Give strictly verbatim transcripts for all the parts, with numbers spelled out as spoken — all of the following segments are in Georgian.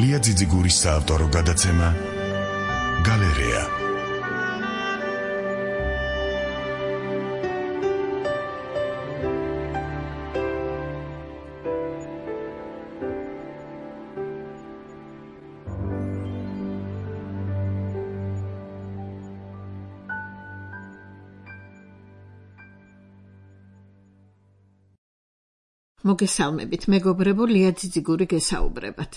ლია ძიძიგურის საავტორო გადაცემა გალერეა. მოგესალმებით, მეგობრებო, ლია ძიძიგური გესაუბრებათ.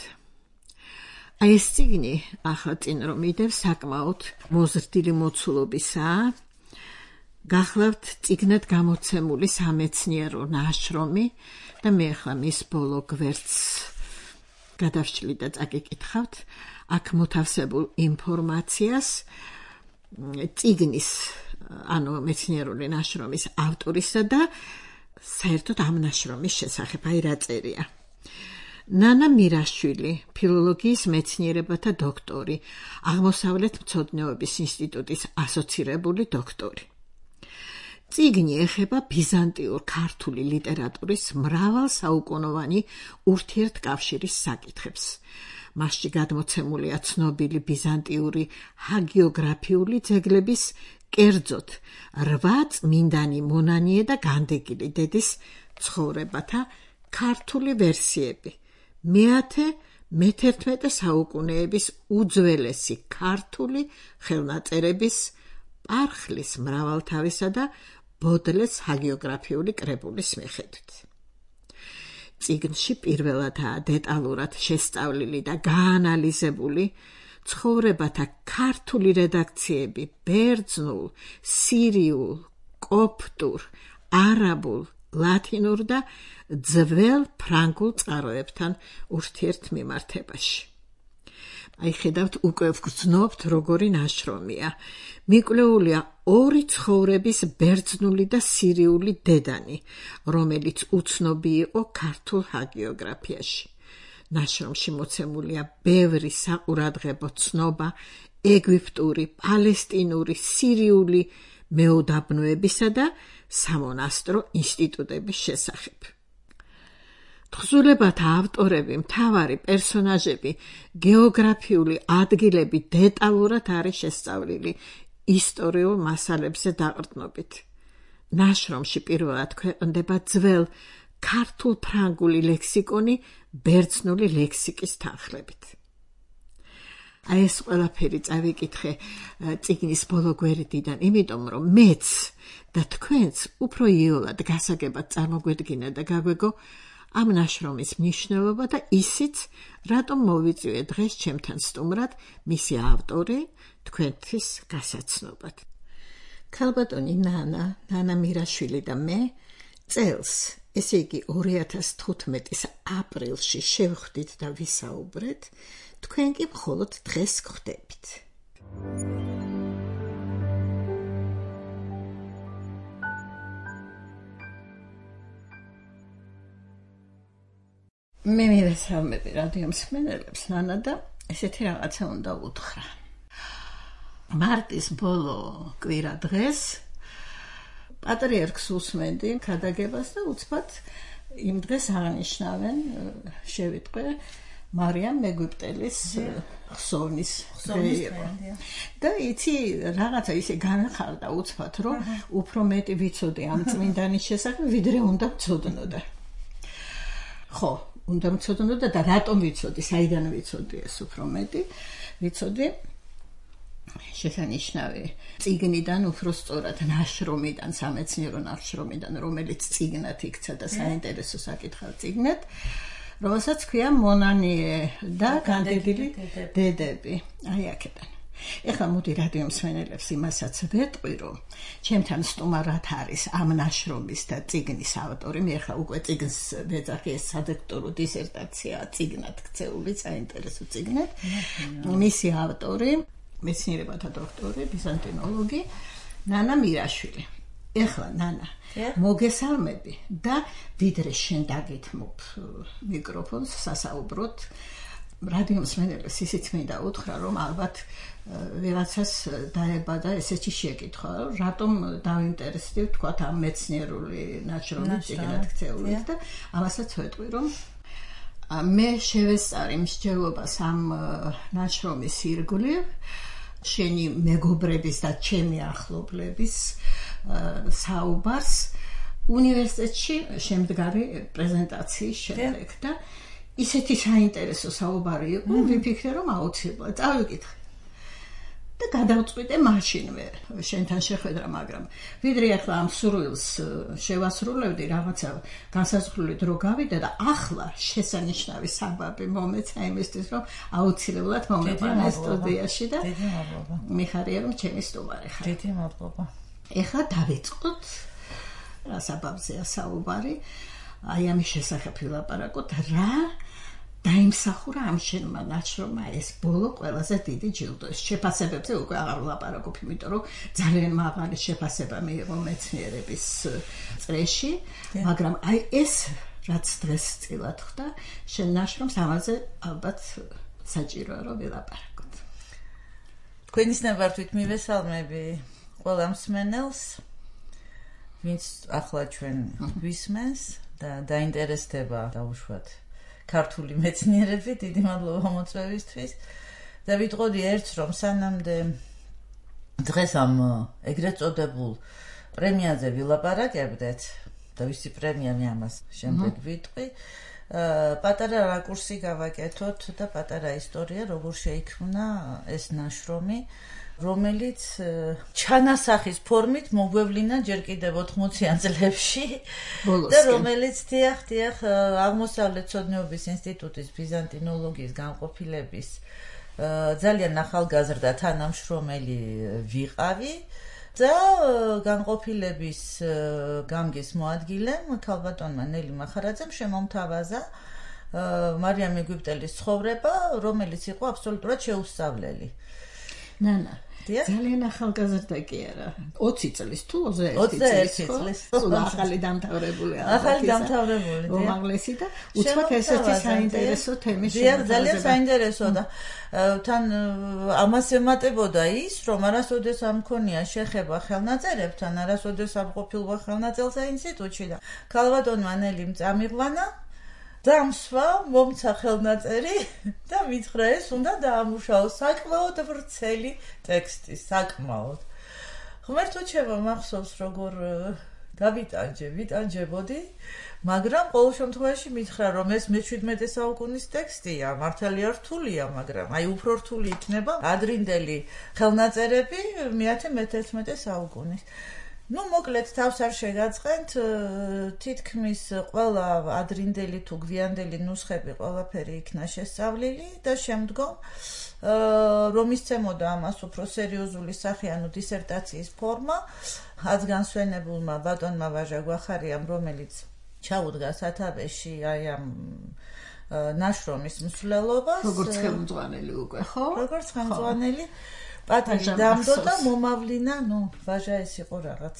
აი ეს წიგნი ახლა წინ რომ მიდევ საკმაოდ მოზრდილი მოცულობისაა. გახლავთ წიგნად გამოცემული სამეცნიერო ნაშრომი და მე ახლა მის ბოლო გვერდს გადავშლი და წაკიკითხავთ აქ მოთავსებულ ინფორმაციას წიგნის, ანუ მეცნიერული ნაშრომის ავტორისა და საერთოდ ამ ნაშრომის შესახებ აი რა წერია. ნანა მირაშვილი, ფილოლოგიის მეცნიერებათა დოქტორი, აღმოსავლეთ მცოდნეობის ინსტიტუტის ასოცირებული დოქტორი. წიგნი ეხება ბიზანტიურ ქართული ლიტერატურის მრავალსაუკუნოვანი ურთიერთკავშირის საკითხებს. მასში გადმოცემულია ცნობილი ბიზანტიური ჰაგიოგრაფიული ძეგლების, კერძოდ რვა წმინდანი მონანიე და განდეგილი დედის ცხოვრებათა ქართული ვერსიები. მეათე მეთერთმეტე საუკუნეების უძველესი ქართული ხელნაწერების, პარხლის მრავალთავისა და ბოდლეს ჰაგიოგრაფიული კრებულის მიხედვით. წიგნში პირველადაა დეტალურად შესწავლილი და გაანალიზებული ცხოვრებათა ქართული რედაქციები ბერძნულ, სირიულ, კოპტურ, არაბულ, ლათინურ და ძველ ფრანგულ წყაროებთან ურთიერთმიმართებაში. აი ხედავთ, უკვე ვგრძნობთ როგორი ნაშრომია. მიკვლეულია ორი ცხოვრების ბერძნული და სირიული დედანი, რომელიც უცნობი იყო ქართულ ჰაგიოგრაფიაში. ნაშრომში მოცემულია ბევრი საყურადღებო ცნობა ეგვიპტური, პალესტინური, სირიული მეუდაბნოებისა და სამონასტრო ინსტიტუტების შესახებ. თხზულებათა ავტორები, მთავარი პერსონაჟები, გეოგრაფიული ადგილები დეტალურად არის შესწავლილი ისტორიულ მასალებზე დაყრდნობით. ნაშრომში პირველად ქვეყნდება ძველ ქართულ-ფრანგული ლექსიკონი ბერძნული ლექსიკის თანხლებით. აი ეს ყველაფერი წავიკითხე წიგნის ბოლო გვერდიდან, იმიტომ რომ მეც და თქვენც უფრო იოლად გასაგებად წარმოგვედგინა და გაგვეგო ამ ნაშრომის მნიშვნელობა და ისიც, რატომ მოვიწვიე დღეს ჩემთან სტუმრად მისი ავტორი თქვენთვის გასაცნობად. ქალბატონი ნანა, ნანა მირაშვილი და მე წელს, ესე იგი ორი ათას თხუთმეტის აპრილში შევხვდით და ვისაუბრეთ, თქვენ კი მხოლოდ დღეს გვხვდებით. მე მივესალმები რადიო მსმენელებს, ნანა, და ესეთი რაღაცა უნდა უთხრა. მარტის ბოლო კვირა დღეს პატრიარქს უსმენდი ქადაგებას და უცბად იმ დღეს აღნიშნავენ, შევიტყვე მარიამ მეგვიპტელის ხსოვნის დღეება. და იცი, რაღაცა ისე განხარდა უცბად, რომ უფრო მეტი ვიცოდი ამ წმინდანის შესახებ, ვიდრე უნდა ვცოდნოდა. ხო, უნდა ვცოდნოდა და რატომ ვიცოდი, საიდან ვიცოდი ეს უფრო მეტი? ვიცოდი შესანიშნავი წიგნიდან, უფრო სწორად ნაშრომიდან, სამეცნიერო ნაშრომიდან, რომელიც წიგნად იქცა და საინტერესო საკითხად წიგნად, რომელსაც ქვია მონანიე და განდეგილი დედები. აი აქედან. ეხლა მოდი რადიო მსმენელებს იმასაც ვეტყვი, რომ ჩემთან სტუმარად არის ამ ნაშრომის და წიგნის ავტორი. მე ახლა უკვე წიგნს ვეძახი, ეს სადოქტორო დისერტაცია წიგნად ქცეული, საინტერესო წიგნად. მისი ავტორი, მეცნიერებათა დოქტორი, ბიზანტინოლოგი ნანა მირაშვილი. ეხლა ნანა, მოგესალმები და ვიდრე შენ დაგეთმობ მიკროფონს სასაუბროთ, რადიო მსმენელებს ისიც მინდა უთხრა, რომ ალბათ ვიღაცას დაებადა ესეთი შეკითხვა, რატომ დავინტერესდი თქვათ ამ მეცნიერული ნაშრომის წიგნად ქცეულით და ამასაც ვეტყვი, რომ მე შევესწარი მსჯელობას ამ ნაშრომის ირგვლივ შენი მეგობრების და ჩემი ახლობლების საუბარს უნივერსიტეტში შემდგარი პრეზენტაციის შემდეგ და ისეთი საინტერესო საუბარი იყო, ვიფიქრე რომ აუცილებლად წავიკითხე. და გადავწყვიტე მაშინვე შენთან შეხვედრა, მაგრამ ვიდრე ახლა ამ სურვილს შევასრულებდი, რაღაცა განსაზღვრული დრო გავიდა და ახლა შესანიშნავი საბაბი მომეცა იმისთვის, რომ აუცილებლად მომეყვანე სტუდიაში და დიდი მადლობა. მიხარია რომ ჩემი სტუმარი ხარ. დიდი მადლობა. ეხლა დავიწყოთ რა საბაბზეა საუბარი, აი ამის შესახებ ვილაპარაკოთ, რა დაიმსახურა ამ შენმა ნაშრომმა ეს ბოლო ყველაზე დიდი ჯილდო. შეფასებებზე უკვე აღარ ვლაპარაკობ, იმიტომ რომ ძალიან მაღალი შეფასება მიიღო მეცნიერების წრეში, მაგრამ აი ეს რაც დღეს წილად ხდა, შენ ნაშრომს ამაზე ალბათ საჭიროა რომ ვილაპარაკოთ. თქვენის ნებართვით მივესალმები ყველა მსმენელს, ვინც ახლა ჩვენ გვისმენს და დაინტერესდება დაუშვათ ქართული მეცნიერები, დიდი მადლობა მოწვევისთვის და ვიტყოდი ერთს, რომ სანამდე დღეს ამ ეგრეთ წოდებულ პრემიაზე ვილაპარაკებდეთ და ვისი პრემია მე ამას შემდეგ ვიტყვი, პატარა რაკურსი გავაკეთოთ და პატარა ისტორია, როგორ შეიქმნა ეს ნაშრომი, რომელიც ჩანასახის ფორმით მოგვევლინა ჯერ კიდევ ოთხმოციან წლებში და რომელიც დიახ, დიახ, აღმოსავლეთ ცოდნეობის ინსტიტუტის ბიზანტინოლოგიის განყოფილების ძალიან ახალგაზრდა თანამშრომელი ვიყავი და განყოფილების გამგის მოადგილემ ქალბატონმა ნელი მახარაძემ შემომთავაზა მარიამ ეგვიპტელის ცხოვრება, რომელიც იყო აბსოლუტურად შეუსწავლელი. ნანა, ძალიან ახალგაზრდა კი არა, ოცი წლის თუ ოცდაერთი წლის, ახალი დამთავრებული ახალი დამთავრებული უმაღლესი და უცბად ესეთი საინტერესო თემის შემოთავაზება. ძალიან საინტერესო და თან ამას ემატებოდა ის, რომ არასოდეს არ მქონია შეხება ხელნაწერებთან, არასოდეს არ ყოფილიყო ხელნაწერთა ინსტიტუტში და ქალბატონმა ნელი წამიღვანა დამსვა მომცა ხელნაწერი და მითხრა ეს უნდა დაამუშავოს საკმაოდ ვრცელი ტექსტი, საკმაოდ. ღმერთო ჩემო, მახსოვს როგორ დავიტანჯე, ვიტანჯებოდი, მაგრამ ყოველ შემთხვევაში მითხრა რომ ეს მეჩვიდმეტე საუკუნის ტექსტია, მართალია რთულია, მაგრამ აი უფრო რთული იქნება ადრინდელი ხელნაწერები მეათე მეთერთმეტე საუკუნის. Ну, მოკლედ თავს არ შეგაწყენთ, თითქმის ყველა ადრინდელი თუ გვიანდელი ნუსხები ყველაფერი იქნა შესწავლილი და შემდგომ რომ ისცემოდა ამას უფრო სერიოზული სახე, ანუ დისერტაციის ფორმა, აზგანსვენებულმა ბატონმა ვაჟა გვახარიამ, რომელიც ჩაუდგა სათავეში აი ამ ნაშრომის მსვლელობას, როგორც ხელმძღვანელი უკვე, ხო? როგორც ხელმძღვანელი პატარი დამდო და მომავლინა, ნუ, ვაჟა ეს იყო რაღაც.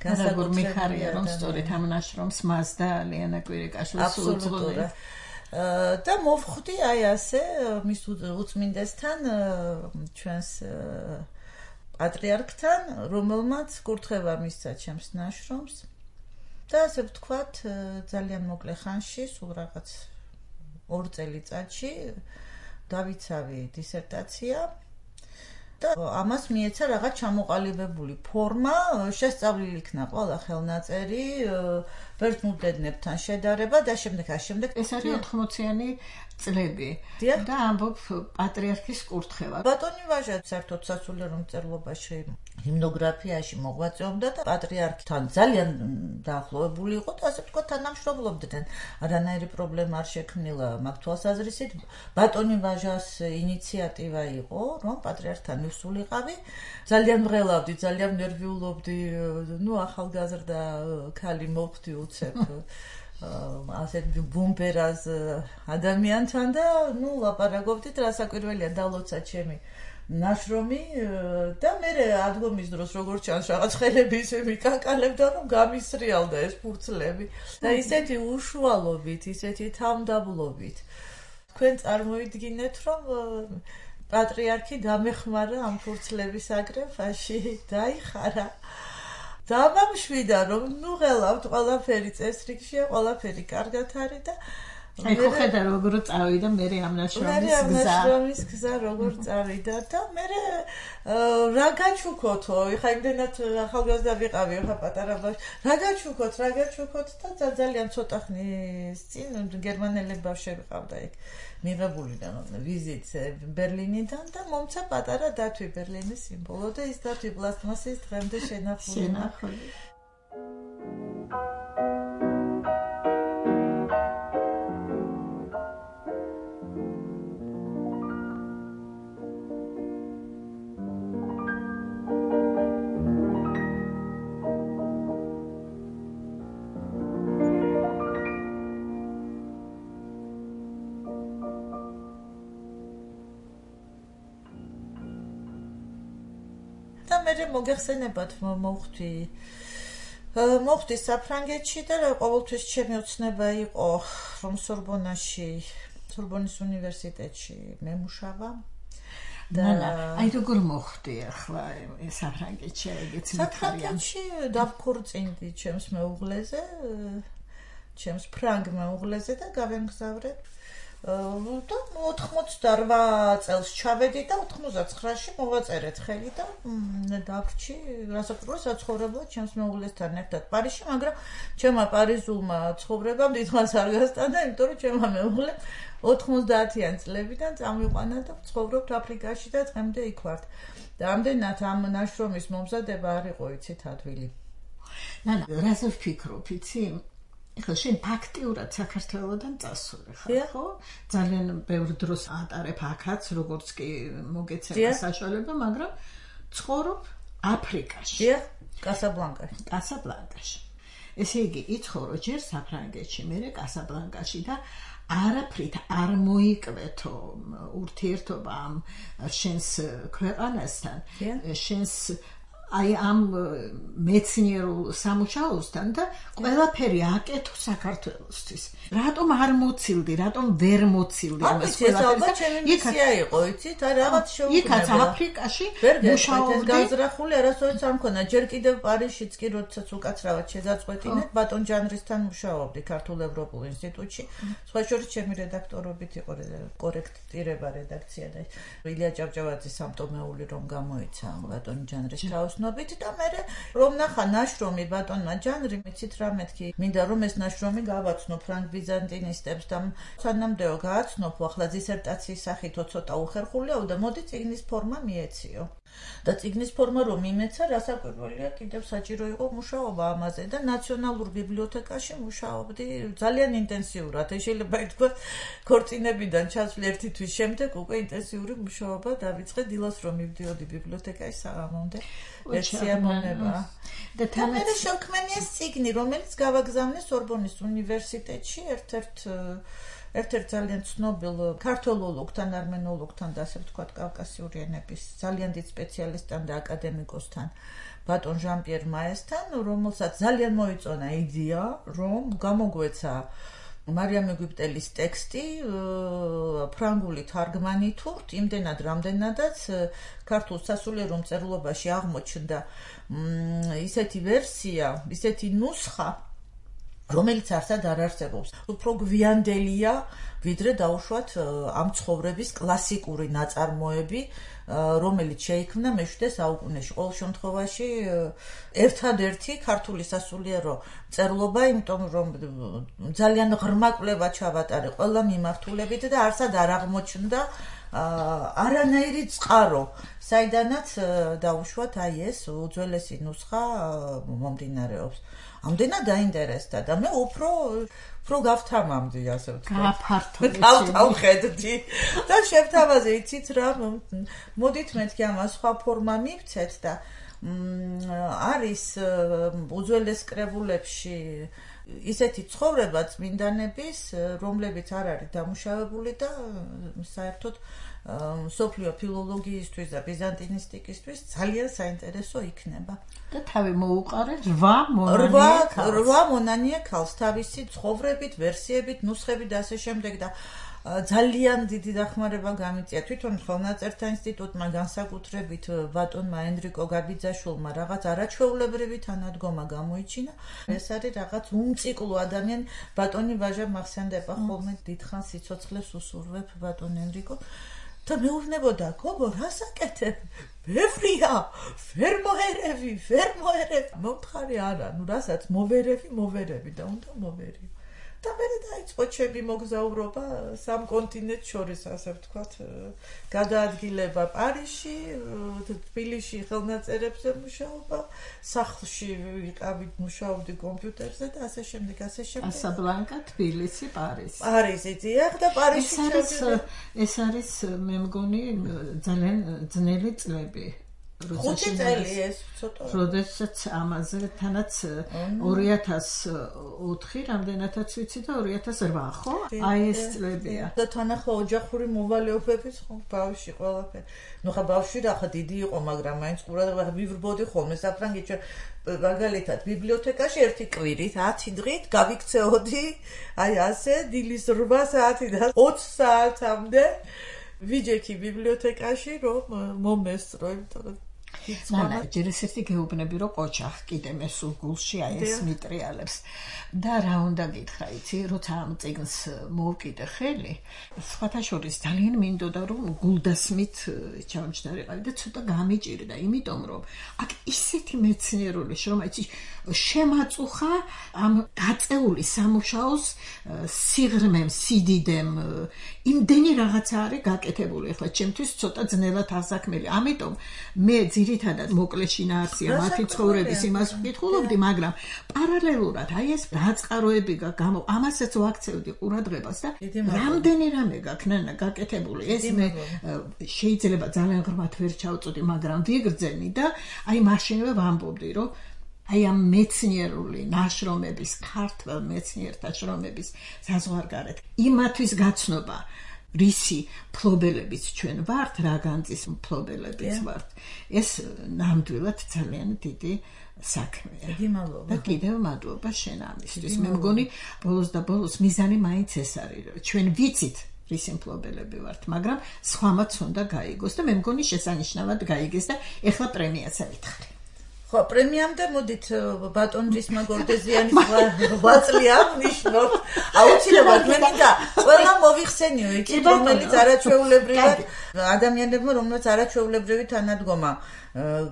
განსაკუთრებით მიხარია რომ სწორედ ამ ნაშრომს მას და ლიანა კვირიკაშვილს უძღვნა. და მოვხვდი აი ასე მის უწმინდესთან ჩვენს პატრიარქთან, რომელმაც კურთხევა მისცა ჩემს ნაშრომს და ასე ვთქვათ ძალიან მოკლე ხანში, სულ რაღაც ორ წელიწადში დავიცავი დისერტაცია და ამას მიეცა რაღაც ჩამოყალიბებული ფორმა, შესწავლილი იქნა ყველა ხელნაწერი, ბერძნულ-დედნებთან შედარება და შემდეგ ამ შემდეგ ეს არის ოთხმოციანი წლები და ამბობ პატრიარქის კურთხევა. ბატონი ვაჟა საერთოდ სასულიერო მწერლობაში, ჰიმნოგრაფიაში მოღვაწეობდა და პატრიარქთან ძალიან დაახლოებული იყო და ასე ვთქვათ თანამშრომლობდნენ. არანაირი პრობლემა არ შექმნილა მაგ თვალსაზრისით. ბატონი ვაჟას ინიციატივა იყო, რომ პატრიარქთან მივსულიყავი. ძალიან მღელავდი, ძალიან ნერვიულობდი, ნუ ახალგაზრდა ქალი მოხვდი უცებ. ასეთ ბუმპერას ადამიანთან და ნუ ლაპარაკობდით, რასაკვირველია დალოცა ჩემი ნაშრომი და მე ადგომის დროს როგორც ჩანს რაღაც ხელები ისე მიკაკალებდა რომ გამისრიალდა ეს ფურცლები და ისეთი უშუალობით, ისეთი თავმდაბლობით თქვენ წარმოიდგინეთ რომ პატრიარქი დამეხმარა ამ ფურცლების აგრეფაში, დაიხარა დამამშვიდა რომ ნუ ღელავთ ყველაფერი წესრიგშია, ყველაფერი კარგად არის და აი ხო ხედა როგორ წავიდა მე ამ ნაშრომის გზა. მე ამ ნაშრომის გზა როგორ წავიდა და მე რა გაჩუქოთო, ეხა იმდენად ახალგაზრდა ვიყავი, ხა პატარა ბავშვი. რა გაჩუქოთ, რა გაჩუქოთ და ძალიან ცოტა ხნის წინ გერმანელი ბავშვები ყავდა იქ. მიღებული და ვიზიტ ბერლინიდან და მომცა პატარა დათვი ბერლინის სიმბოლო და ის დათვი პლასტმასის დღემდე შენახული. შენახული. მე მოგეხსენებათ მოვხვდი მოვხვდი საფრანგეთში და ყოველთვის ჩემი ოცნება იყო რომ სორბონაში სორბონის უნივერსიტეტში მემუშავა და აი როგორ მოხდი ახლა საფრანგეთში ეგეც საფრანგეთში დავქორწინდი ჩემს მეუღლეზე ჩემს ფრანგ მეუღლეზე და გავემგზავრე და ოთხმოცდაოთხ წელს ჩავედი და ოთხმოცდაცხრაში მოვაწერეთ ხელი და დავრჩი რასაკვირველია საცხოვრებლად ჩემს მეუღლესთან ერთად პარიზში, მაგრამ ჩემმა პარიზულმა ცხოვრებამ დიდხანს არ გასტანდა, იმიტომ რომ ჩემმა მეუღლე ოთხმოცდაათიან წლებიდან წამიყვანა და ცხოვრობთ აფრიკაში და დღემდე იქ ვართ. და ამდენად ამ ნაშრომის მომზადება არ იყო იცით ადვილი. ნანა, რაზე ვფიქრობ, იცი? ეხლა შენ ფაქტიურად საქართველოსთან წასული ხარ, ხო? ძალიან ბევრ დროს ატარებ აქაც, როგორც კი მოგეცემა საშუალება, მაგრამ ცხოვრობ აფრიკაში. დიახ, კასაბლანკაში. კასაბლანკაში. ესე იგი, იცხოვრო ჯერ საფრანგეთში, მერე კასაბლანკაში და არაფრით არ მოიკვეთო ურთიერთობა ამ შენს ქვეყანასთან, შენს აი ამ მეცნიერულ სამუშაოსთან და ყველაფერი აკეთო საქართველოსთვის. რატომ არ მოცილდი, რატომ ვერ მოცილდი ამას ყველაფერს? ჩემი მისია იყო, იცით? აი რაღაც შეუქმნება. იქაც აფრიკაში მუშაობდი. გაზრახული არასოდეს არ მქონა. ჯერ კიდევ პარიზშიც კი როდესაც უკაცრავად შეზაწყვეტინეთ, ბატონ ჯანრისთან მუშაობდი ქართულ ევროპულ ინსტიტუტში. სხვა შორის ჩემი რედაქტორობით იყო კორექტირება რედაქცია და ილია ჭავჭავაძის სამტომეული რომ გამოიცა ბატონ ჯანრის თავს და მე რომ ნახა ნაშრომი ბატონმა ჯანრი მეცით რა მეთქი მინდა რომ ეს ნაშრომი გავაცნო ფრანგ ბიზანტინისტებს და სანამდეო გააცნობ ახლა დისერტაციის სახით ცოტა უხერხულია და მოდი წიგნის ფორმა მიეციო და წიგნის ფორმა რომ იმეცა რასაკვირველია კიდევ საჭირო იყო მუშაობა ამაზე და ნაციონალურ ბიბლიოთეკაში მუშაობდი ძალიან ინტენსიურად შეიძლება ითქვას ქორწინებიდან ჩასვლი ერთი თვის შემდეგ უკვე ინტენსიური მუშაობა დავიწყე დილას რომ მივდიოდი ბიბლიოთეკაში საღამომდე სიამონება და თამარი შევქმნია წიგნი რომელიც გავაგზავნე სორბონის უნივერსიტეტში ერთ-ერთ ერთ-ერთ ძალიან ცნობილ ქართოლოგთან, არმენოლოგთან და ასე ვთქვათ კავკასიური ენების ძალიან დიდ სპეციალისტთან და აკადემიკოსთან ბატონ ჟან-პიერ მაესთან, რომელსაც ძალიან მოიწონა იდეა, რომ გამოგვეცა მარიამ ეგვიპტელის ტექსტი ფრანგული თარგმანითურთ, იმდენად რამდენადაც ქართულ სასულიერო მწერლობაში აღმოჩნდა ისეთი ვერსია, ისეთი ნუსხა რომელიც არსად არ არსებობს. უფრო გვიანდელია, ვიდრე დაუშვათ ამ ცხოვრების კლასიკური ნაწარმოები, რომელიც შეიქმნა მეშვიდე საუკუნეში. ყოველ შემთხვევაში ერთადერთი ქართული სასულიერო მწერლობა, იმიტომ რომ ძალიან ღრმა კვლევა ჩავატარე ყველა მიმართულებით და არსად არ აღმოჩნდა არანაირი წყარო, საიდანაც დაუშვათ აი ეს უძველესი ნუსხა მომდინარეობს. ამდენად დაინტერესდა და მე უფრო უფრო გავთამამდი ასე ვთქვათ. გაფართოვდი. გავთავხედდი და შევთავაზე იცით რა მოდით მეთქი ამას სხვა ფორმა მივცეთ და არის უძველეს კრებულებში ისეთი ცხოვრება წმინდანების, რომლებიც არ არის დამუშავებული და საერთოდ სოფლიო ფილოლოგიისთვის და ბიზანტინისტიკისთვის ძალიან საინტერესო იქნება. და თავი მოუყარე რვა მონანიე ქალს. რვა მონანიე ქალს თავისი ცხოვრებით, ვერსიებით, ნუსხებით და ასე შემდეგ და ძალიან დიდი დახმარება გამიწია თვითონ ხელნაწერთა ინსტიტუტმა განსაკუთრებით ბატონმა ენრიკო გაბიძაშვილმა რაღაც არაჩვეულებრივი თანადგომა გამოიჩინა. ეს არის რაღაც უმციკლო ადამიანი. ბატონი ვაჟა მახსენდება ხოლმე დიდხანს სიცოცხლეს უსურვებ ბატონ ენრიკო. და მეუბნებოდა გოგო რას აკეთებ? ბევრია, ვერ მოერევი, ვერ მოერევი. მომთხარი არა, ნუ რასაც მოვერევი, მოვერევი და უნდა მოვერი. და მე დაიწყო ჩემი მოგზაურობა სამ კონტინენტს შორის, ასე ვთქვათ, გადაადგილება პარიზში, თბილისში ხელნაწერებზე მუშაობა, სახლში ვიყავით, მუშაობდი კომპიუტერზე და ასე შემდეგ, ასე შემდეგ. კასაბლანკა, თბილისი, პარიზი. პარიზი დიახ და პარიზში ეს არის მე მგონი ძალიან ძნელი წლები. ხუთი წელი ეს ცოტა. როდესაც ამაზე თანაც ორი ათას ოთხი რამდენადაც ვიცი და ორი ათას რვა ხო? აი ეს წლებია. და თან ახლა ოჯახური მოვალეობების ხო ბავშვი ყველაფერი. ნუ ხა ბავშვი რა ხა დიდი იყო, მაგრამ მაინც ყურადღება ვივრბოდი ხოლმე საფრანგეთში მაგალითად ბიბლიოთეკაში ერთი კვირით ათი დღით გავიქცეოდი, აი ასე დილის რვა საათიდან ოცი საათამდე ვიჯექი ბიბლიოთეკაში რომ მომესწრო, იმიტომ რომ ნანა, ჯერ ეს ერთი გეუბნები რომ ყოჩახ კიდე მე სულ გულში აი ეს მიტრიალებს და რა უნდა გითხრა იცი, როცა ამ წიგნს მოვკიდე ხელი, სხვათა შორის ძალიან მინდოდა რომ გულდასმით ჩავჯდარიყავი და ცოტა გამიჭირდა, იმიტომ რომ აქ ისეთი მეცნიერული შრომა იცი შემაწუხა ამ გაწეული სამუშაოს სიღრმემ, სიდიდემ, იმდენი რაღაცა არის გაკეთებული, ახლა ჩემთვის ცოტა ძნელად ასაქმელი. ამიტომ მე ძირითადად მოკლე შინაარსია მათი ცხოვრების იმას ვკითხულობდი, მაგრამ პარალელურად აი ეს დაწყაროები გამო ამასაც ვაქცევდი ყურადღებას და რამდენი რამე გაქნანა გაკეთებული. ეს მე შეიძლება ძალიან ღრმად ვერ ჩავწოდი, მაგრამ ვიგრძენი და აი მაშინვე ვამბობდი, რომ აი ამ მეცნიერული ნაშრომების, ქართველ მეცნიერთა შრომების საზღვარგარეთ იმათვის გაცნობა რისი ფლობელებიც ჩვენ ვართ, რა განძის ფლობელებიც ვართ. ეს ნამდვილად ძალიან დიდი საქმეა. და კიდევ მადლობა შენ ამისთვის. მე მგონი ბოლოს და ბოლოს მიზანი მაინც ეს არის, რომ ჩვენ ვიცით რისი მფლობელები ვართ, მაგრამ სხვამაც უნდა გაიგოს და მე მგონი შესანიშნავად გაიგეს და ეხლა პრემიაც ავითხარი. ხო, პრემიამდე მოდით ბატონ რისმა გორდეზიანის ღვაწლი აღნიშნოთ. აუცილებლად მე მინდა ყველა მოვიხსენიო, იცი, რომელიც არაჩვეულებრივად ადამიანებმა, რომელსაც არაჩვეულებრივი თანადგომა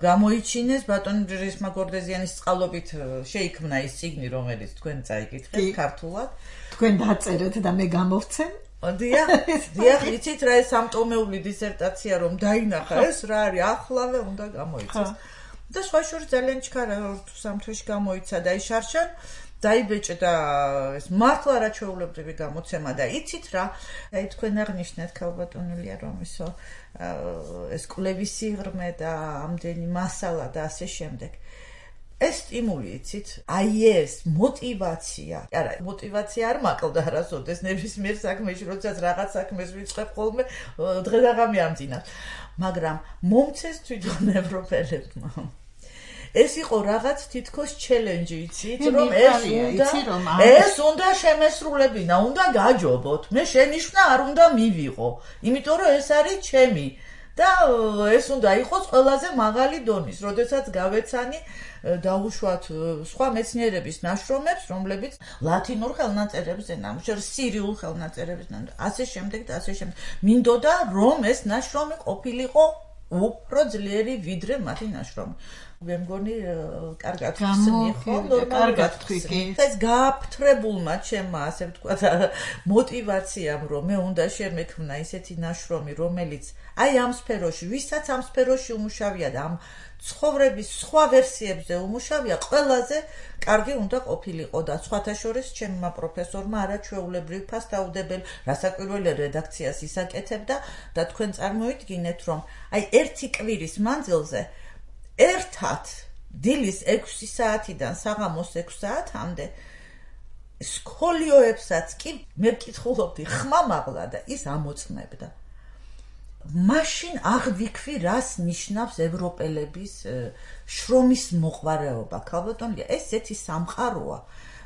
გამოიჩინეს ბატონ რისმა გორდეზიანის წყალობით შეიქმნა ის წიგნი, რომელიც თქვენ წაიკითხეთ ქართულად. თქვენ დაწერეთ და მე გამოვცემ. დიახ, დიახ, იცით რა ეს სამტომეული დისერტაცია რომ დაინახა, ეს რა არის, ახლავე უნდა გამოიცეს. და სხვა შორის ძალიან ჩქარა თუ სამ თვეში გამოიცა და ის შარშან დაიბეჭდა ეს მართლა არაჩვეულებრივი გამოცემა და იცით რა, აი თქვენ აღნიშნეთ ქალბატონელია რომ ისო ეს კვლევის სიღრმე და ამდენი მასალა და ასე შემდეგ. ეს სტიმული იცით, აი ეს მოტივაცია. არა, მოტივაცია არ მაკლდა არასოდეს ნებისმიერ საქმეში, როდესაც რაღაც საქმეს ვიწყებ ხოლმე დღე და ღამე ამძინავ. მაგრამ მომცეს თვითონ ევროპელებმა. ეს იყო რაღაც თითქოს ჩელენჯი, იცით, რომ ეს უნდა ეს უნდა შემესრულებინა, უნდა გაჯობოთ. მე შენიშვნა არ უნდა მივიღო, იმიტომ რომ ეს არის ჩემი და ეს უნდა იყოს ყველაზე მაღალი დონის, როდესაც გავეცანი დაუშვათ სხვა მეცნიერების ნაშრომებს, რომლებიც ლათინურ ხელნაწერებზე ნამუშევრ, სირიულ ხელნაწერებზე ნამუშევრ, ასე შემდეგ და ასე შემდეგ. მინდოდა რომ ეს ნაშრომი ყოფილიყო უფრო ძლიერი ვიდრე მათი ნაშრომი. მე მგონი კარგად ხსნი ხო, კარგად თქვი. ეს გააფთრებულმა ჩემმა, ასე ვთქვათ, მოტივაციამ, რომ მე უნდა შემექმნა ისეთი ნაშრომი, რომელიც აი ამ სფეროში, ვისაც ამ სფეროში უმუშავია და ამ ცხოვრების სხვა ვერსიებზე უმუშავია, ყველაზე კარგი უნდა ყოფილიყო და სხვათა შორის ჩემმა პროფესორმა არაჩვეულებრივ ფასდაუდებელი რასაკვირველი რედაქციას ისაკეთებდა და თქვენ წარმოიდგინეთ, რომ აი ერთი კვირის მანძილზე ერთად დილის ექვსი საათიდან საღამოს ექვს საათამდე სკოლიოებსაც კი მე ვკითხულობდი ხმამაღლა და ის ამოწმებდა. მაშინ აღვიქვი რას ნიშნავს ევროპელების შრომის მოყვარეობა. ქალბატონია, ეს ესეთი სამყაროა,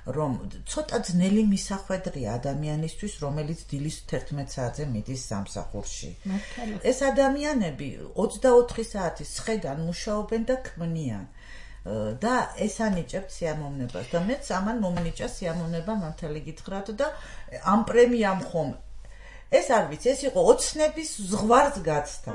რომ ცოტა ძნელი მისახვედრია ადამიანისთვის, რომელიც დილის თერთმეტ საათზე მიდის სამსახურში. ეს ადამიანები ოცდაოთხი საათის ცხრიდან მუშაობენ და ქმნიან. და ეს ანიჭებთ სიამოვნებას და მეც ამან მომნიჭა სიამოვნება მართალი გითხრათ და ამ პრემიამ ხომ ეს არ ვიცი, ეს იყო ოცნების ზღვარს გაცდა.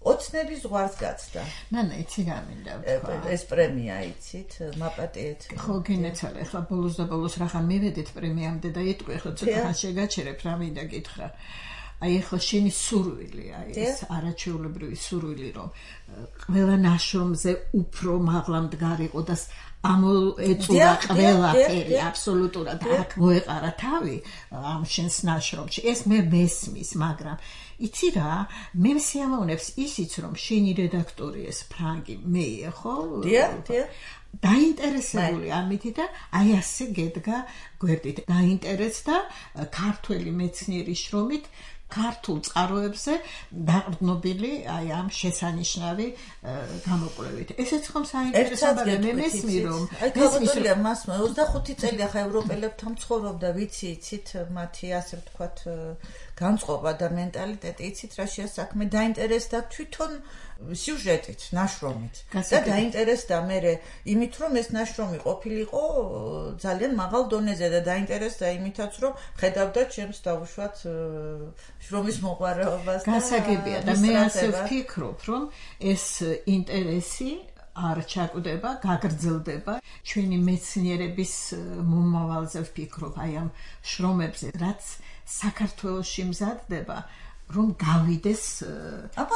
ოცნების ზღვარს გაცდა. ნანა, იცი რა მინდა ვთქვა. ეს პრემია იცით, მაპატიეთ. ხო, გინეცალე, ხა ბოლოს და ბოლოს რახან მივედით პრემიამდე და იტყვი, ხო ცოტა შეგაჩერებ, რა მინდა გითხრა. აი ხო შენი სურვილი, აი ეს არაჩვეულებრივი სურვილი, რომ ყველა ნაშრომზე უფრო მაღლა მდგარიყო და ამოეწურა ყველაფერი აბსოლუტურად აქ მოეყარა თავი ამ შენს ნაშრომში. ეს მე მესმის, მაგრამ იცი რა, მე სიამოვნებს ისიც, რომ შენი რედაქტორი ეს ფრანგი მეია, ხო? დიახ, დიახ. დაინტერესებული ამითი და აი ასე გედგა გვერდით. დაინტერესდა ქართველი მეცნიერის შრომით ქართულ წყაროებზე დაყრდნობილი აი ამ შესანიშნავი გამოკვლევით. ესეც ხომ საინტერესოა, მე მესმის რომ აი ქალბატონია მასმა ოცდახუთი წელი ახლა ევროპელებთან ცხოვრობდა, ვიცი, იცით მათი ასე ვთქვათ განწყობა და მენტალიტეტი, იცით რა შეასაქმე, დაინტერესდა თვითონ სიუჟეტით, ნაშრომით. და დაინტერესდა მე იმით, რომ ეს ნაშრომი ყოფილიყო ძალიან მაღალ დონეზე და დაინტერესდა იმითაც, რომ ხედავდა ჩემს დაუშვათ შრომის მოყვარეობას და გასაგებია და მე ასე ვფიქრობ, რომ ეს ინტერესი არ ჩაკვდება, გაგრძელდება ჩვენი მეცნიერების მომავალზე ვფიქრობ, აი ამ შრომებზე, რაც საქართველოში მზადდება, რომ გავიდეს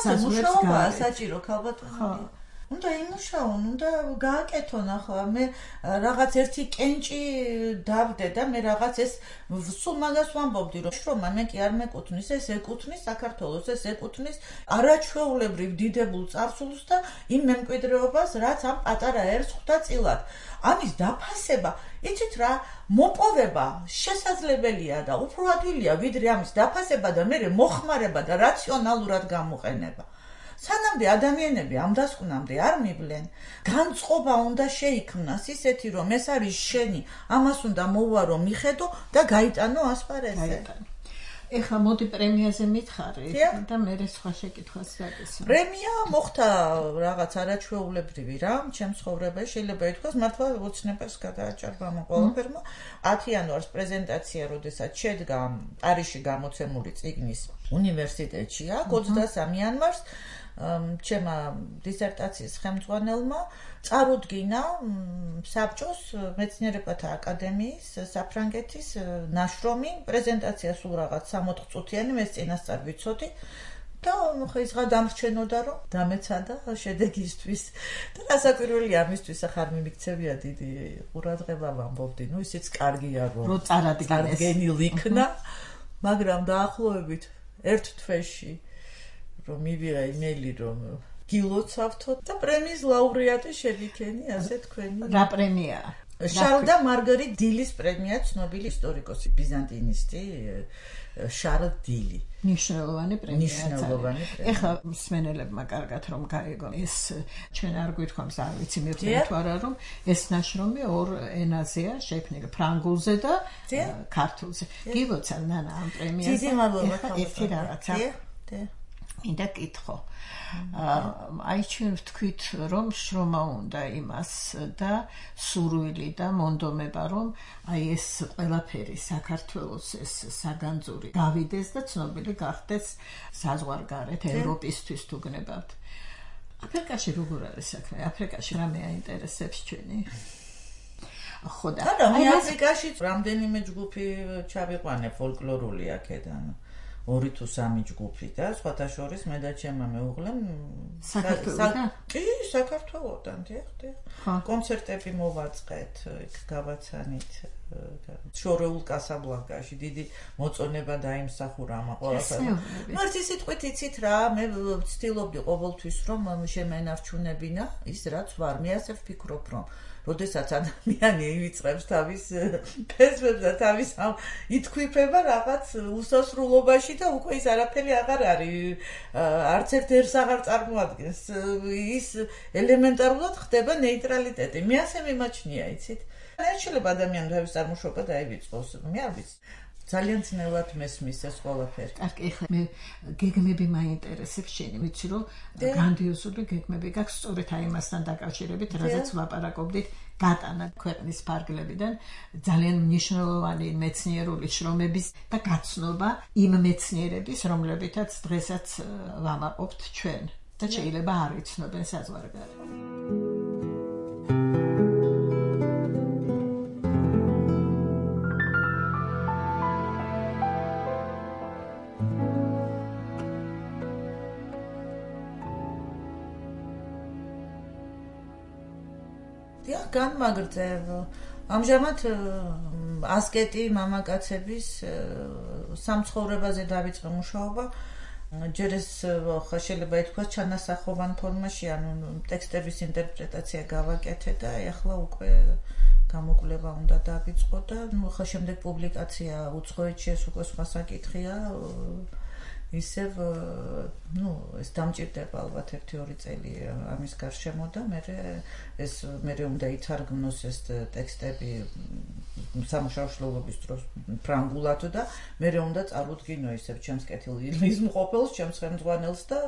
საზღვრებს გარე. საჭირო ქალბატონია. უნდა იმუშაონ, უნდა გააკეთონ ახლა მე რაღაც ერთი კენჭი დავდე და მე რაღაც ეს სულ მაგას ვამბობდი, რომ შრომა მე კი არ მეკუთვნის, ეს ეკუთვნის საქართველოს, ეს ეკუთვნის არაჩვეულებრივ დიდებულ წარსულს და იმ მემკვიდრეობას, რაც ამ პატარა ერს ხვდა წილად. ამის დაფასება, იცით რა, მოპოვება შესაძლებელია და უფრო ადვილია, ვიდრე ამის დაფასება და მე მოხმარება და რაციონალურად გამოყენება. სანამდე ადამიანები ამ დასკვნამდე არ მივლენ, განწყობა უნდა შეიქმნას ისეთი, რომ ეს არის შენი, ამას უნდა მოვარო, მიხედო და გაიტანო ასპარეზზე. ეხლა მოდი პრემიაზე მითხარი და მე სხვა შეკითხვას დაგესვა. პრემია მოხდა რაღაც არაჩვეულებრივი რამ, ჩემს ცხოვრებაში შეიძლება ითქვას, მართლა ოცნებას გადააჭარბა ამ ყველაფერმა. ათი იანვარს პრეზენტაცია, როდესაც შედგა პარიზში გამოცემული წიგნის უნივერსიტეტში, აქ ოცდასამი იანვარს ჩემმა დისერტაციის ხელმძღვანელმა წარუდგინა საბჭოს მეცნიერებათა აკადემიის საფრანგეთის ნაშრომი, პრეზენტაცია სულ რაღაც სამოთხ წუთიანი, მე წინასწარ ვიცოდი და ხო ის რა დამრჩენოდა, რომ დამეცადა შედეგისთვის და რასაკვირველია ამისთვის ახლა მიმიქცევია დიდი ყურადღება ვამბობდი, ну ისიც კარგია რომ წარადგენილ იქნა, მაგრამ დაახლოებით ერთ თვეში რომ მივიღე იმეილი, რომ გილოცავთო და პრემიის ლაურეატი შევიქენი, ასე თქვენი. რა პრემიაა? შარლ და მარგარიტ დილის პრემია, ცნობილი ისტორიკოსი, ბიზანტინისტი შარლ დილი. ნიშნულოვანი პრემია. ნიშნულოვანი პრემია. ეხლა მსმენელებმა კარგად რომ გაიგონ, ეს ჩვენ არ გვითხოვს, არ ვიცი მე ვთქვი არა, რომ ეს ნაშრომი ორ ენაზეა შექმნილი, ფრანგულზე და ქართულზე. გიგოცავ ნანა ამ პრემიაზე. დიდი მადლობა. ერთი რაღაცა. მინდა კითხო. აი ჩვენ ვთქვით, რომ შრომა უნდა იმას და სურვილი და მონდომება, რომ აი ეს ყველაფერი საქართველოს ეს საგანძური გავიდეს და ცნობილი გახდეს საზღვარგარეთ, ევროპისთვის თუ გნებავთ. აფრიკაში როგორ არის საქმე? აფრიკაში რამე აინტერესებს ჩვენი? ხო და აი აფრიკაში რამდენიმე ჯგუფი ჩავიყვანე ფოლკლორული აქედან. ორი თუ სამი ჯგუფი და სხვათა შორის მე და ჩემმა მეუღლემ საქართველოსა? კი, საქართველოდან, დიახ, დიახ. კონცერტები მოვაწყეთ, იქ გავაცანით შორეულ კასაბლანკაში, დიდი მოწონება დაიმსახურა ამ ყველაფერს. მარტო სიტყვით იცით რა, მე ვცდილობდი ყოველთვის რომ შემენარჩუნებინა ის რაც ვარ. მე ასე ვფიქრობ რომ როდესაც ადამიანი ივიწყებს თავის ფესვებს და თავის ამ ითქვიფება რაღაც უსასრულობაში და უკვე ის არაფერი აღარ არის, არც ერთ ერს აღარ წარმოადგენს, ის ელემენტარულად ხდება ნეიტრალიტეტი. მე ასე მიმაჩნია, იცით? არ შეიძლება ადამიანი თავის წარმოშობა დაივიწყოს, მე არ ვიცი. ძალიან ძნელად მესმის ეს ყველაფერი. კარგი, ეხლა მე გეგმები მაინტერესებს შენი, ვიცი რომ გრანდიოზული გეგმები გაქვს სწორედ აი მასთან დაკავშირებით, რაზეც ვაპარაკობდით, გატანა ქვეყნის ფარგლებიდან ძალიან მნიშვნელოვანი მეცნიერული შრომების და გაცნობა იმ მეცნიერების, რომლებითაც დღესაც ვამაყობთ ჩვენ და შეიძლება არ იცნობენ საზღვარგარეთ. განმაგრძევ. ამჟამად ასკეტი მამაკაცების სამცხოვრებაზე დავიწყე მუშაობა. ჯერ ეს შეიძლება ითქვას ჩანასახოვან ფორმაში, ანუ ტექსტების ინტერპრეტაცია გავაკეთე და ეხლა უკვე გამოკვლევა უნდა დავიწყო და ნუ ხა შემდეგ პუბლიკაცია უცხოეთში ეს უკვე სხვა საკითხია. ისევ ნუ ეს დამჭირდება ალბათ ერთი ორი წელი ამის გარშემო და მე ეს მე უნდა ითარგმნოს ეს ტექსტები სამუშაოშლობის დროს ფრანგულად და მე უნდა წარუდგინო ისევ ჩემს კეთილგანიის მყოფელს, ჩემს ხელმძღვანელს და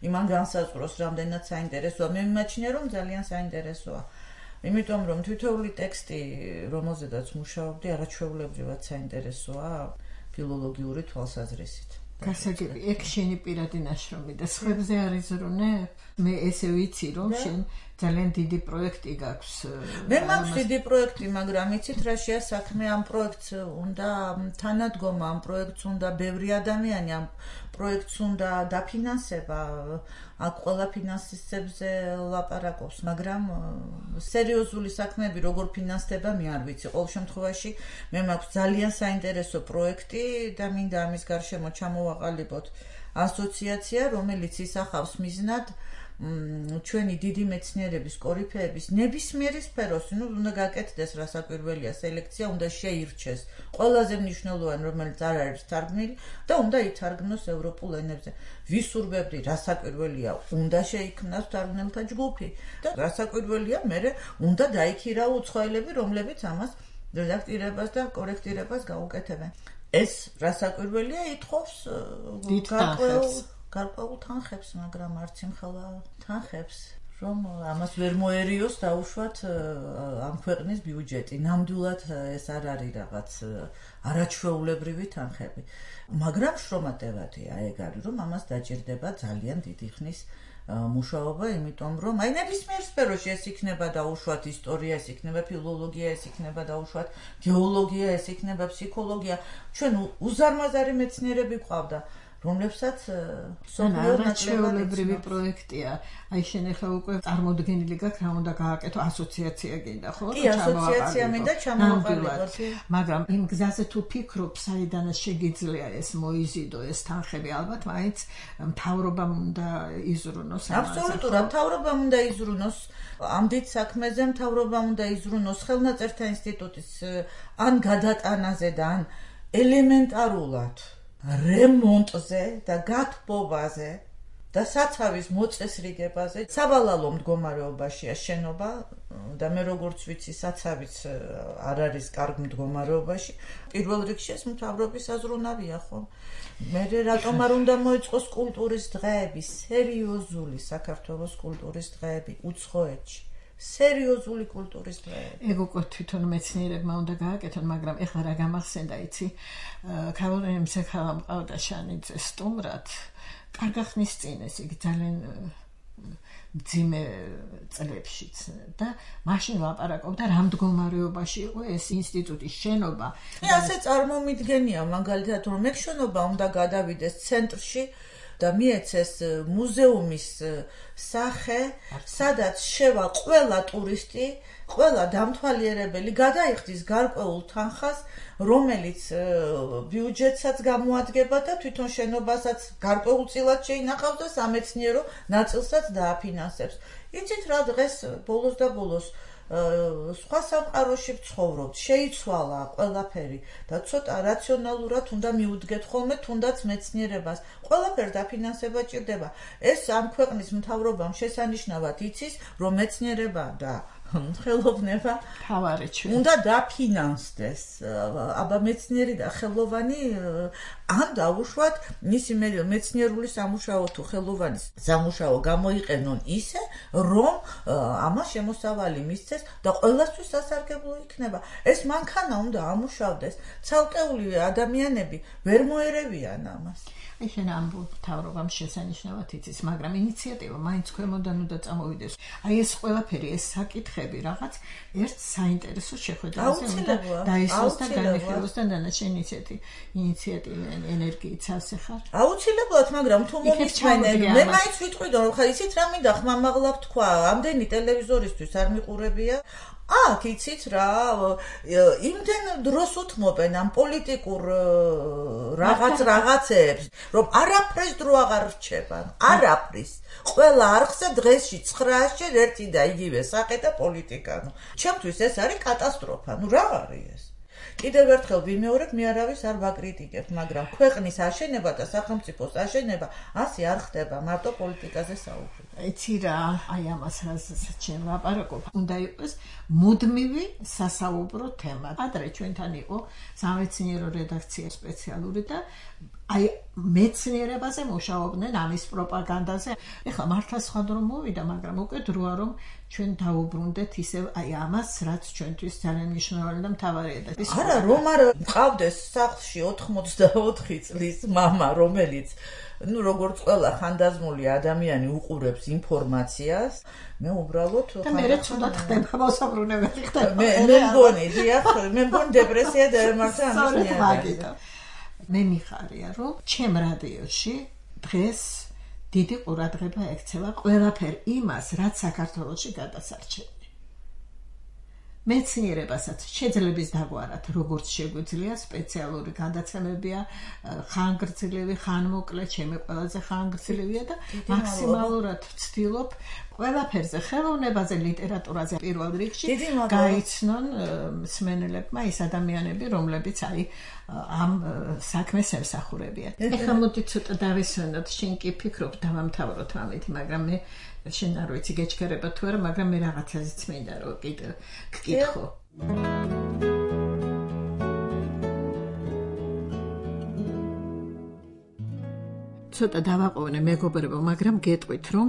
იმან განსაზღვროს რამდენად საინტერესოა. მე მიმაჩნია რომ ძალიან საინტერესოა. იმიტომ რომ თითოეული ტექსტი, რომელზედაც მუშაობდი, არაჩვეულებრივად საინტერესოა ფილოლოგიური თვალსაზრისით. გასაგები, ეგ შენი პირადი ნაშრომი და სხვებზე არ იზრუნებ? მე ესე ვიცი რომ შენ ძალიან დიდი პროექტი გაქვს. მე მაქვს დიდი პროექტი, მაგრამ იცით რა შეა საქმე, ამ პროექტს უნდა თანადგომა, ამ პროექტს უნდა ბევრი ადამიანი, ამ პროექტს უნდა დაფინანსება. აქ ყველა ფინანსისტებზე ლაპარაკობს, მაგრამ სერიოზული საქმეები როგორ ფინანსდება, მე არ ვიცი. ყოველ შემთხვევაში მე მაქვს ძალიან საინტერესო პროექტი და მინდა ამის გარშემო ჩამოვაყალიბოთ ასოციაცია, რომელიც ისახავს მიზნად ჩვენი დიდი მეცნიერების კორიფეების ნებისმიერი სფეროს, ну, უნდა გაკეთდეს რასაკვირველია სელექცია, უნდა შეირჩეს ყველაზე მნიშვნელოვანი, რომელიც არ არის თარგმნილი და უნდა ითარგმნოს ევროპულ ენებზე. ვისურვებდი რასაკვირველია, უნდა შეიქმნას თარგმნელთა ჯგუფი და რასაკვირველია, მე უნდა დაიქირავ უცხოელები, რომლებიც ამას რედაქტირებას და კორექტირებას გაუკეთებენ. ეს რასაკვირველია ითხოვს გარკვეულ გარკვეულ თანხებს, მაგრამ არც იმხელა თანხებს, რომ ამას ვერ მოერიოს დაუშვათ ამ ქვეყნის ბიუჯეტი. ნამდვილად ეს არ არის რაღაც არაჩვეულებრივი თანხები. მაგრამ შრომატევადია ეგ არის, რომ ამას დაჭირდება ძალიან დიდი ხნის მუშაობა, იმიტომ რომ აი ნებისმიერ სფეროში ეს იქნება დაუშვათ ისტორია, ეს იქნება ფილოლოგია, ეს იქნება დაუშვათ გეოლოგია, ეს იქნება ფსიქოლოგია. ჩვენ უზარმაზარი მეცნიერები გვყავდა, რომლებსაც არაჩვეულებრივი პროექტია. აი შენ ახლა უკვე წარმოდგენილი გაქვს რა უნდა გააკეთო, ასოციაცია გინდა, ხო? კი, ასოციაცია მინდა ჩამოვაყალიბოთ. მაგრამ იმ გზაზე თუ ფიქრობ, საიდან შეგიძლია ეს მოიზიდო ეს თანხები, ალბათ მაინც მთავრობამ უნდა იზრუნოს ამაზე. აბსოლუტურად, მთავრობამ უნდა იზრუნოს. ამ დიდ საქმეზე მთავრობამ უნდა იზრუნოს ხელნაწერთა ინსტიტუტის ან გადატანაზე და ან ელემენტარულად რემონტზე და გათბობაზე და საცავის მოწესრიგებაზე. სავალალო მდგომარეობაშია შენობა და მე როგორც ვიცი, საცავიც არ არის კარგ მდგომარეობაში. პირველ რიგში ეს მთავრობის აზროვნავია, ხო? მე რატომ არ უნდა მოეწყოს კულტურის დღეები, სერიოზული საქართველოს კულტურის დღეები უცხოეთში. სერიოზული კულტურის დღეები. ეგ უკვე თვითონ მეცნიერებმა უნდა გააკეთონ, მაგრამ ეხლა რა გამახსენდა, იცი, ქალორინე მსახალა მყავდა შანიძე სტუმრად, კარგა ხნის წინ ეს იგი ძალიან მძიმე წლებშიც და მაშინ ლაპარაკობდა რა მდგომარეობაში იყო ეს ინსტიტუტის შენობა. მე ასე წარმომიდგენია მაგალითად რომ ეგ შენობა უნდა გადავიდეს ცენტრში, და მიეცეს მუზეუმის სახე, სადაც შევა ყველა ტურისტი, ყველა დამთვალიერებელი გადაიხდის გარკვეულ თანხას, რომელიც ბიუჯეტსაც გამოადგება და თვითონ შენობასაც გარკვეულწილად შეინახავს და სამეცნიერო ნაწილსაც დააფინანსებს. იცით რა დღეს ბოლოს და ბოლოს სხვა სამყაროში ვცხოვრობთ, შეიცვალა ყველაფერი და ცოტა რაციონალურად უნდა მიუდგეთ ხოლმე თუნდაც მეცნიერებას. ყველაფერს დაფინანსება ჭირდება. ეს ამ ქვეყნის მთავრობამ შესანიშნავად იცის, რომ მეცნიერება და ხელოვნება თავარი ჩვენ უნდა დაფინანსდეს. აბა მეცნიერი და ხელოვანი ან დაუშვათ მისი მეცნიერული სამუშაო თუ ხელოვანის სამუშაო გამოიყენონ ისე, რომ ამას შემოსავალი მისცეს და ყველასთვის სასარგებლო იქნება. ეს მანქანა უნდა ამუშავდეს. ცალკეული ადამიანები ვერ მოერევიან ამას. აი შენ ამ მთავრობამ შესანიშნავად იცის, მაგრამ ინიციატივა მაინც ქვემოდან უნდა წამოვიდეს. აი ეს ყველაფერი, ეს საკითხები რაღაც ერთ საინტერესო შეხვედრაზე უნდა დაისვას და განიხილოს და დანარჩენი ინიციატივა ენერგიით ასე ხარ? აუცილებლად, მაგრამ თუ მომისმენენ, მე მაინც ვიტყვი რომ ხა იცით რა მინდა ხმამაღლა თქვა, ამდენი ტელევიზორისთვის არ მიყურებია. აქ იცით რა, იმდენ დროს უთმობენ ამ პოლიტიკურ რაღაც რაღაცებს, რომ არაფრის დრო აღარ რჩება, არაფრის. ყველა არხზე დღეში ცხრაასჯერ ერთი და იგივე სახე და პოლიტიკა. ჩემთვის ეს არის კატასტროფა. ნუ რა არის ეს? კიდევ ერთხელ ვიმეორებ, მე არავის არ ვაკრიტიკებ, მაგრამ ქვეყნის აშენება და სახელმწიფოს აშენება ასე არ ხდება, მარტო პოლიტიკაზე საუბრობ. იცი რა, აი ამას რასაც ჩვენ ვაპარაკობ, უნდა იყოს მუდმივი სასაუბრო თემა. ადრე ჩვენთან იყო სამეცნიერო რედაქცია სპეციალური და აი მეცნიერებაზე მუშაობდნენ ამის პროპაგანდაზე. ეხლა მართლა სხვა დრო მოვიდა, მაგრამ უკვე დროა რომ ჩვენ დაუბრუნდეთ ისევ აი ამას, რაც ჩვენთვის ძალიან მნიშვნელოვანი და მთავარია. არა, რომ არ მყავდეს სახლში ოთხმოცდაოთხი წლის მამა, რომელიც ну როგორც ყველა ხანდაზმული ადამიანი უყურებს ინფორმაციას, მე უბრალოდ და მე ცუდად ხდება მოსაბრუნებელი ხდება. მე მე მგონი, დიახ, მე მგონი დეპრესია დაემართა ამის მიერ. მე მიხარია, რომ ჩემ რადიოში დღეს დიდი ყურადღება ექცევა ყველაფერ იმას, რაც საქართველოში გადასარჩენია. მეცნიერებასაც შეძლებს დაგვარათ, როგორც შეგვიძლია, სპეციალური გადაცემებია, ხანგრძლივი, ხანმოკლე, ჩემი ყველაზე ხანგრძლივია და მაქსიმალურად ვცდილობ ყველაფერზე, ხელოვნებაზე, ლიტერატურაზე პირველ რიგში გაიცნონ მსმენელებმა ის ადამიანები, რომლებიც აი ამ საქმეს ემსახურებიან. ეხლა მოდი ცოტა დავისვენოთ, შენ კი ფიქრობ დავამთავროთ ამით, მაგრამ მე შენ არ ვიცი გეჩქერება თუ არა, მაგრამ მე რაღაცაზეც მინდა რომ კიდე გკითხო. ცოტა დავაყოვნე მეგობრებო, მაგრამ გეტყვით რომ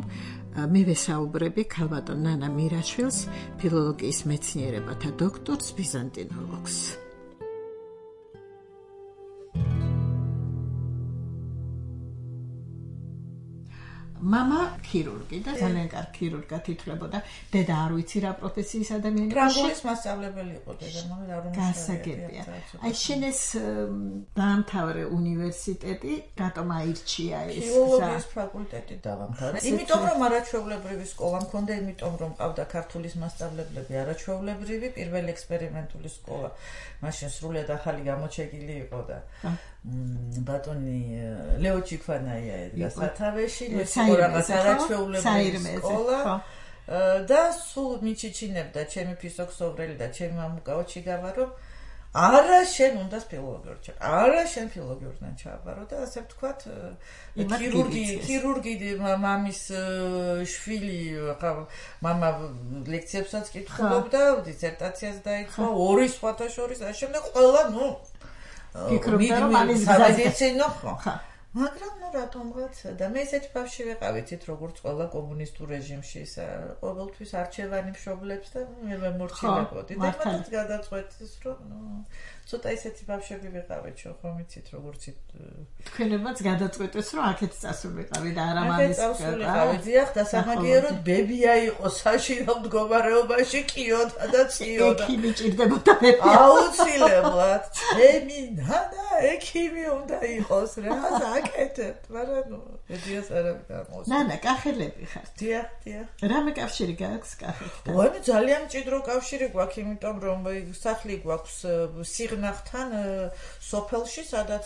მე ვესაუბრები ქალბატონ ნანა მირაშვილს, ფილოლოგიის მეცნიერებათა დოქტორს, ბიზანტინოლოგს. მამა ქირურგი და ძალიან კარგი ქირურგად ითვლებოდა. დედა არ ვიცი რა პროფესიის ადამიანი იყო. ფრანგულის მასწავლებელი იყო დედა, მაგრამ არ უნდა. გასაგებია. აი შენ ეს დაამთავრე უნივერსიტეტი, რატომ აირჩია ეს? ფილოლოგიის ფაკულტეტი დავამთავრე. იმიტომ რომ არაჩვეულებრივი სკოლა მქონდა, იმიტომ რომ მყავდა ქართულის მასწავლებლები არაჩვეულებრივი, პირველი ექსპერიმენტული სკოლა. მაშინ სრულად ახალი გამოჩეკილი იყო და ბატონი ლეო ჩიქვანაია ედგა სათავეში, რაღაც არაჩვეულებრივი სკოლა და სულ მიჩიჩინებდა ჩემი ფიზიქსოვრელი და ჩემი მამუკაო ჩიგავა, რომ არა შენ უნდა ფილოლოგიურ ჩა. არა შენ ფილოლოგიურთან ჩააბარო და ასე ვთქვათ, ქირურგი, ქირურგი მამის შვილი, ხა მამა ლექციებსაც კითხულობდა, დისერტაციას დაიწყო, ორი სხვათა შორის, ამ შემდეგ ყველა, ну ფიქრობდა რომ ამის სამედიცინო ხო. მაგრამ ну რატომღაც და მე ესეთი ბავშვი ვიყავით, როგორც ყველა კომუნისტურ რეჟიმში, ყოველთვის არჩევანი მშობლებს და მე მემორჩილებოდი და მათაც გადაწყვეტეს, რომ ну ცოტა ისეთი ბავშვები ვიყავით, ხომ იცით, როგორც თქვენებაც გადაწყვეტეს, რომ აქეთ წასულიყავი და არა მამის წასულიყავი, დიახ, და სამაგიეროდ ბებია იყო საშირო მდგომარეობაში, კიოდა და წიოდა. ექიმი ჭირდებოდა ბებია. აუცილებლად, ჩემი ნანა ექიმი უნდა იყოს რა, აკეთებ, მაგრამ ნუ ედიას არავინ არ მოსწონს. ნანა, კახელები ხართ. დიახ, დიახ. რამე კავშირი გაქვს კახეთთან? ვაი, ძალიან მჭიდრო კავშირი გვაქვს, იმიტომ რომ სახლი გვაქვს სიღნაღთან სოფელში, სადაც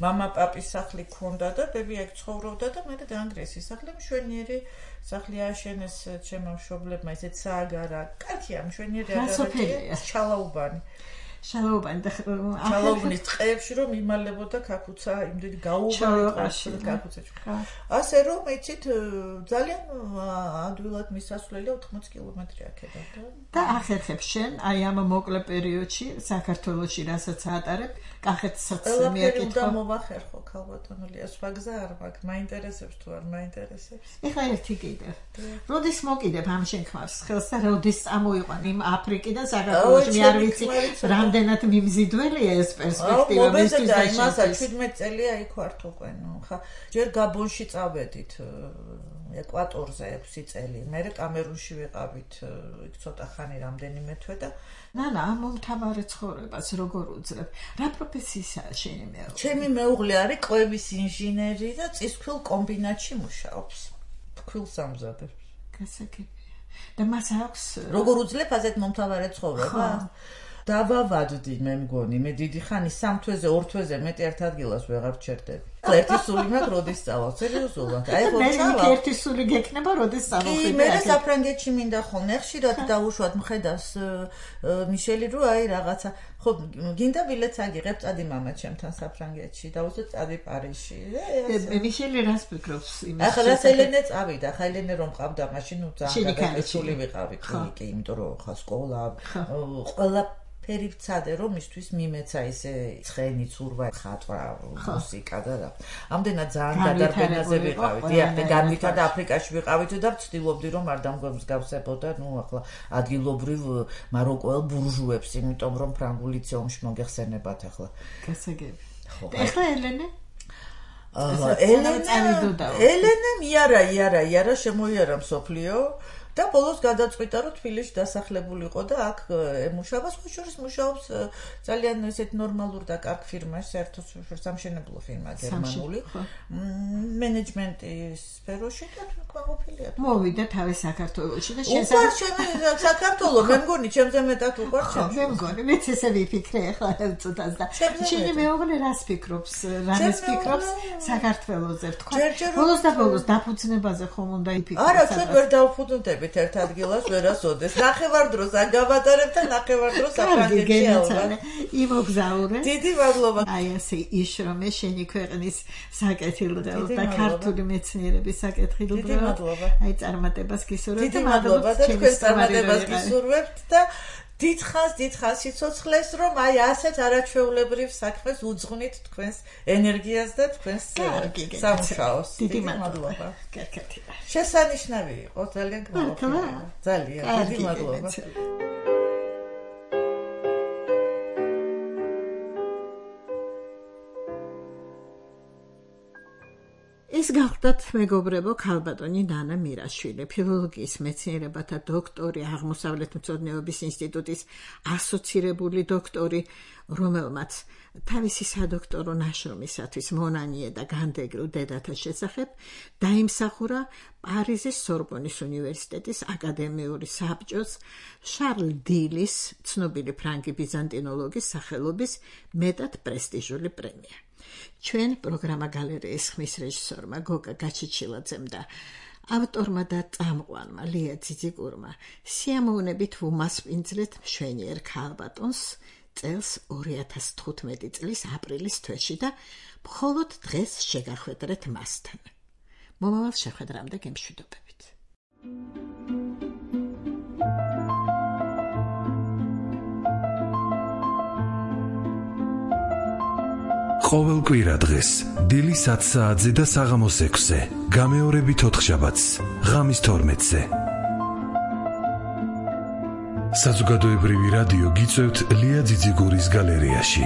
მამა პაპის სახლი ქონდა და ბები აქ ცხოვრობდა და მე დაანგრიეს ის სახლი, მშვენიერი სახლი ააშენეს ჩემო მშობლებმა, ისეთ სააგარა. კაცია, მშვენიერი აგარა, ჩალაუბანი. შალაუბანი და ჩალაუბნის ტყეებში რომ იმალებოდა კაკუცა, იმდენი გაუვალი კაკუცა. ასე რომ იცით ძალიან ადვილად მისასვლელი ოთხმოცი კილომეტრი აქედან და ახერხებ შენ აი ამ მოკლე პერიოდში საქართველოში რასაც ატარებ, კახეთსაც მიაკითხო. და მოვახერხო ქალბატონულია, სხვა გზა არ მაქვს, მაინტერესებს თუ არ მაინტერესებს. ეხლა ერთი კიდე. როდის მოკიდებ ამ შენქმარს ხელს და როდის წამოიყვან იმ აფრიკიდან საქართველოში, მე არ ვიცი რამდენად მიმზიდველია ეს პერსპექტივა მისთვის და იმასაც შვიდმეტი წელია იქ ვართ უკვე, ნუ ხა ჯერ გაბონში წავედით ეკვატორზე ექვსი წელი, მერე კამერუნში ვიყავით იქ ცოტა ხანი რამდენიმე თვე და ნანა, ამ მომთაბარე ცხოვრებას როგორ უძლებ? რა პროფესიისაა შენი მეუღლე? ჩემი მეუღლე არის კვების ინჟინერი და წისქვილ კომბინატში მუშაობს. ფქვილს ამზადებს. გასაგებია. და მას აქვს როგორ უძლებ ასეთ მომთაბარე ცხოვრებას? დავავადდი მე მგონი, მე დიდი ხანი სამ თვეზე, ორ თვეზე მეტი ერთ ადგილას ვეღარ ვჩერდები. ერთი სული მაქვს, როდის წავალ, სერიოზულად. აი ხო ჩავალ. მე ერთი სული გექნება, როდის წავხვიდე. კი, მე საფრანგეთში მინდა ხოლმე, ხშირად დავუშვათ მხედავს მიშელი, რომ აი რაღაცა, ხო, გინდა ბილეთს აგიღებ, წადი მამა ჩემთან საფრანგეთში, დავუშვათ წადი პარიზში. მე მიშელი რას ფიქრობს იმის? ახლა რას ელენე წავიდა, ხა ელენე რომ ყავდა, მაშინ ნუ ძალიან გადასული ვიყავი, კი, იმიტომ რომ ხა სკოლა, ყველა ფერი ვცადე რომ მისთვის მიმეცა ისე ცხენი ცურვა ხატვა მუსიკა და რა. ამდენად ძალიან გადარბენაზე ვიყავით. დიახ, განვითარდა აფრიკაში ვიყავით და ვცდილობდი რომ არ დამგვემსგავსებოდა, ნუ ახლა ადგილობრივ მაროკოელ ბურჟუებს, იმიტომ რომ ფრანგულ ლიცეუმში მოგეხსენებათ ახლა. გასაგები. ეხლა ელენე ელენე ელენე მიარა იარა იარა შემოიარა მსოფლიო და ბოლოს გადაწყვიტა რომ თბილისში დასახლებული იყო და აქ ემუშავა, სხვა შორის მუშაობს ძალიან ესეთ ნორმალურ და კარგ ფირმაში, საერთოდ სამშენებლო ფირმა გერმანული, მენეჯმენტის სფეროში და ყოფილია. მოვიდა თავი საქართველოში და შესაძლოა საქართველოს, მე მგონი, ჩემზე მეტად უყვარს ჩემს. მე მგონი, მეც ესე ვიფიქრე ახლა ელწოდას და შენი მეუღლე რას ფიქრობს, რამეს ფიქრობს საქართველოზე, თქვა. ბოლოს და ბოლოს დაფუძნებაზე ხომ უნდა იფიქროს. არა, ჩვენ ვერ დავფუძნდებით ერთ ადგილას ვერასოდეს. ნახევარდროს აგავატარებ და ნახევარდროს საფრანგეთში ავარ. იმოგზაურე. დიდი მადლობა. აი ასე იშრომე შენი ქვეყნის საკეთილდეო და ქართული მეცნიერების საკეთილდეო. დიდი მადლობა. აი წარმატებას გისურვებთ. დიდი მადლობა და თქვენ წარმატებას გისურვებთ და დიდხანს დიდხანს სიცოცხლეს რომ აი ასეთ არაჩვეულებრივ საქმეს უძღვნით თქვენს ენერგიას და თქვენს სამუშაოს. დიდი მადლობა. კარგად. შესანიშნავი იყო, ძალიან გმოგვიყვება. ძალიან დიდი მადლობა. ეს გახლდათ მეგობრებო ქალბატონი ნანა მირაშვილი, ფილოლოგიის მეცნიერებათა დოქტორი, აღმოსავლეთმცოდნეობის ინსტიტუტის ასოცირებული დოქტორი, რომელმაც თავისი სადოქტორო ნაშრომისათვის მონანიე და განდეგრულ დედათა შესახებ დაიმსახურა პარიზის სორბონის უნივერსიტეტის აკადემიური საბჭოს შარლ დილის, ცნობილი ფრანგი ბიზანტინოლოგის სახელობის მეტად პრესტიჟული პრემია. ჩვენ პროგრამა გალერეის ხმის რეჟისორმა გოგა გაჩიჩილაძემ და ავტორმა და წამყვანმა ლია ძიძიგურმა სიამოვნებით ვუმასპინძლეთ მშვენიერ ქალბატონს წელს ორი ათას თხუთმეტი წლის აპრილის თვეში და მხოლოდ დღეს შეგახვედრეთ მასთან. მომავალ შეხვედრამდე გემშვიდობებით. ყოველ კვირა დღეს დილის ათ საათზე და საღამოს ექვსზე, გამეორებით ოთხშაბათს, ღამის თორმეტზე. საზოგადოებრივი რადიო გიწევთ ლია ძიძიგურის გალერეაში.